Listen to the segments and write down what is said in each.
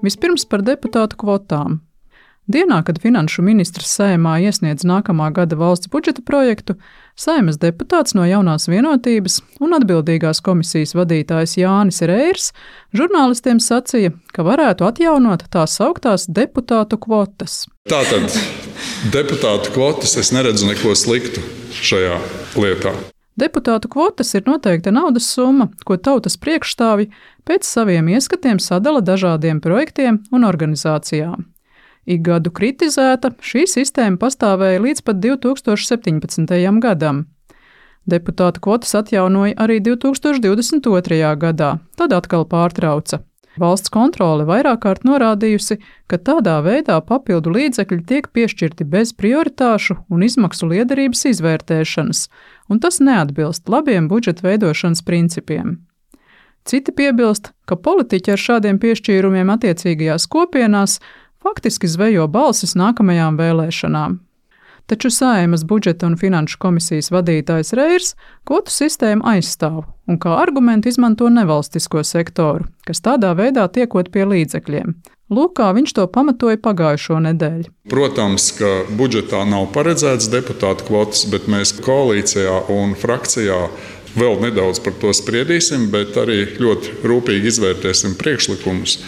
Vispirms par deputātu kvotām. Dienā, kad finanšu ministrs Saeimā iesniedz nākamā gada valsts budžeta projektu, Saeimas deputāts no Jaunās vienotības un atbildīgās komisijas vadītājs Jānis Reirs žurnālistiem sacīja, ka varētu atjaunot tās sauktās deputātu kvotas. Tātad deputātu kvotas es neredzu neko sliktu šajā lietā. Deputātu kvotas ir noteikta naudas summa, ko tautas priekšstāvji pēc saviem ieskatiem sadala dažādiem projektiem un organizācijām. Ik gadu kritizēta, šī sistēma pastāvēja līdz pat 2017. gadam. Deputātu kvotas atjaunoja arī 2022. gadā, tad atkal pārtrauca. Valsts kontrole vairāk kārt norādījusi, ka tādā veidā papildu līdzekļi tiek piešķirti bez prioritāšu un izmaksu liederības izvērtēšanas, un tas neatbilst labiem budžeta veidošanas principiem. Citi piebilst, ka politiķi ar šādiem piešķīrumiem attiecīgajās kopienās faktiski zvejo balsis nākamajām vēlēšanām. Taču Saeimas budžeta un finanšu komisijas vadītājs Reirs kvotu sistēmu aizstāv un kā argumentu izmanto nevalstisko sektoru, kas tādā veidā tiekot pie līdzekļiem. Lūk, kā viņš to pamatoja pagājušo nedēļu. Protams, ka budžetā nav paredzēts deputātu kvotas, bet mēs koalīcijā un frakcijā vēl nedaudz par to spriedīsim, bet arī ļoti rūpīgi izvērtēsim priekšlikumus.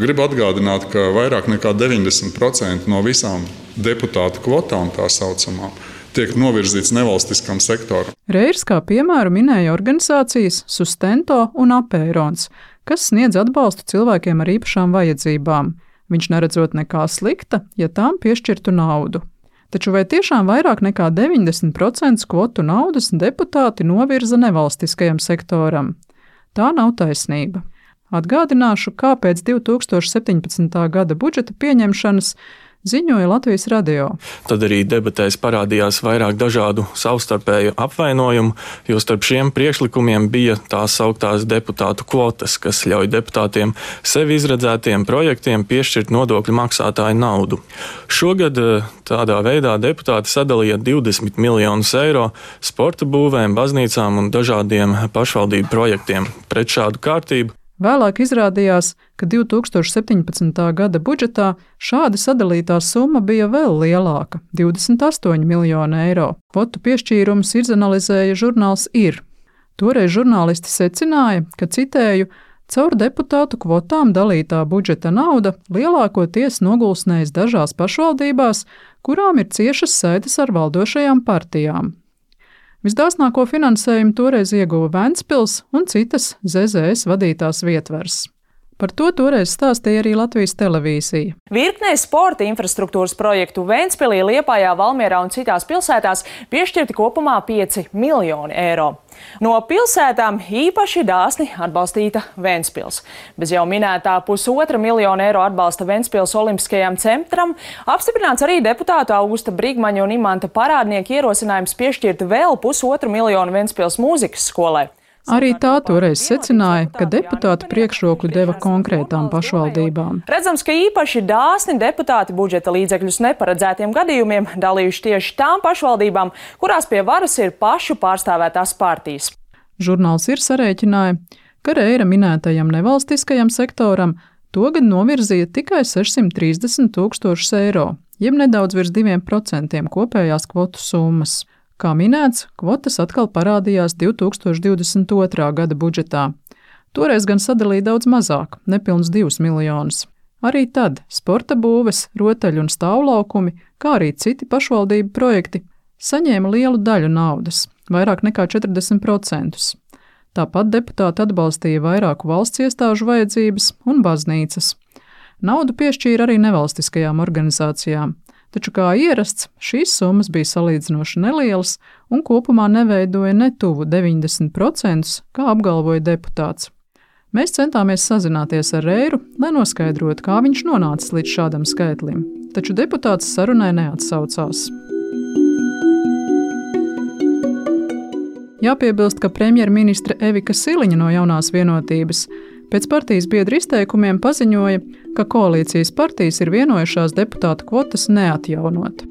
Gribu atgādināt, ka vairāk nekā 90% no visām deputātu kvotām, tā saucamām, tiek novirzīts nevalstiskam sektoram. Reirs kā piemēru minēja organizācijas Sustento un Apērons, kas sniedz atbalstu cilvēkiem ar īpašām vajadzībām. Viņš neredzot nekā slikta, ja tām piešķirtu naudu. Taču vai tiešām vairāk nekā 90% kvotu naudas deputāti novirza nevalstiskajam sektoram? Tā nav taisnība. Atgādināšu, kāpēc 2017. gada budžeta pieņemšanas ziņoja Latvijas radio. Tad arī debatēs parādījās vairāk dažādu savstarpēju apvainojumu, jo starp šiem priekšlikumiem bija tās sauktās deputātu kvotas, kas ļauj deputātiem sevi izredzētiem projektiem piešķirt nodokļu maksātāju naudu. Šogad tādā veidā deputāti sadalīja 20 miljonus eiro sporta būvēm, baznīcām un dažādiem pašvaldību projektiem. Pret šādu kārtību vēlāk izrādījās, ka 2017. gada budžetā šādi sadalītā summa bija vēl lielāka – 28 miljoni eiro. Kvotu piešķīrumus izanalizēja žurnāls Ir. Toreiz žurnālisti secināja, ka, citēju, caur deputātu kvotām dalītā budžeta nauda lielākoties nogulsnējas dažās pašvaldībās, kurām ir ciešas saites ar valdošajām partijām. Visdāsnāko finansējumu toreiz ieguva Ventspils un citas ZZS vadītās vietvars. Par to toreiz stāstīja arī Latvijas televīzija. Virknei sporta infrastruktūras projektu Ventspilī, Liepājā, Valmierā un citās pilsētās piešķirti kopumā 5 miljoni eiro. No pilsētām īpaši dāsni atbalstīta Ventspils. Bez jau minētā 1,5 miljona eiro atbalsta Ventspils Olimpiskajam centram apstiprināts arī deputātu Augusta Brigmaņa un Imanta Parādnieka ierosinājums piešķirt vēl 1,5 miljonu Ventspils mūzikas skolai. Arī tā toreiz secināja, ka deputāti priekšroku deva konkrētām pašvaldībām. Redzams, ka īpaši dāsni deputāti budžeta līdzekļus neparedzētiem gadījumiem dalījuši tieši tām pašvaldībām, kurās pie varas ir pašu pārstāvētās partijas. Žurnāls Ir sarēķināja, ka Reira minētajam nevalstiskajam sektoram togad novirzīja tikai 630 000 eiro, jeb nedaudz virs 2% kopējās kvotu summas. Kā minēts, kvotas atkal parādījās 2022. gada budžetā. Toreiz gan sadalīja daudz mazāk, nepilns 2 miljonus. Arī tad sporta būves, rotaļu un stāvlaukumi, kā arī citi pašvaldību projekti, saņēma lielu daļu naudas, vairāk nekā 40%. Tāpat deputāti atbalstīja vairāku valsts iestāžu vajadzības un baznīcas. Naudu piešķīra arī nevalstiskajām organizācijām. Taču, kā ierasts, šīs summas bija salīdzinoši nelielas un kopumā neveidoja ne tuvu 90%, kā apgalvoja deputāts. Mēs centāmies sazināties ar Reiru, lai noskaidrotu, kā viņš nonācis līdz šādam skaitlim, taču deputāts sarunai neatsaucās. Jāpiebilst, ka premjerministre Evika Siliņa no Jaunās vienotības pēc partijas biedru izteikumiem paziņoja, ka koalīcijas partijas ir vienojušās deputātu kvotas neatjaunot.